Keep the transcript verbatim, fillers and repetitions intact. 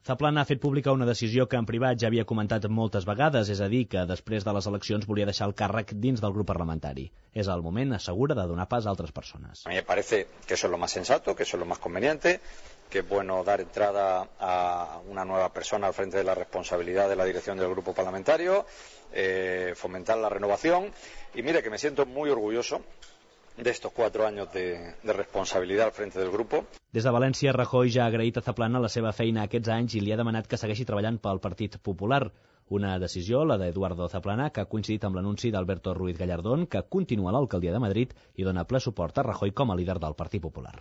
Zaplana ha fet pública una decisió que en privat ja havia comentat moltes vegades, és a dir, que després de les eleccions volia deixar el càrrec dins del grup parlamentari. És el moment, assegura, de donar pas a altres persones. A mí me parece que eso es lo más sensato, que eso es lo más conveniente, que es bueno dar entrada a una nueva persona al frente de la responsabilidad de la dirección del grupo parlamentario, eh, fomentar la renovación, y mire que me siento muy orgulloso de estos cuatro años de, de responsabilidad al frente del grupo. Des de València, Rajoy ja ha agraït a Zaplana la seva feina aquests anys i li ha demanat que segueixi treballant pel Partit Popular. Una decisió, la d'Eduardo Zaplana, que ha coincidit amb l'anunci d'Alberto Ruiz Gallardón, que continua a l'alcaldia de Madrid i dona ple suport a Rajoy com a líder del Partit Popular.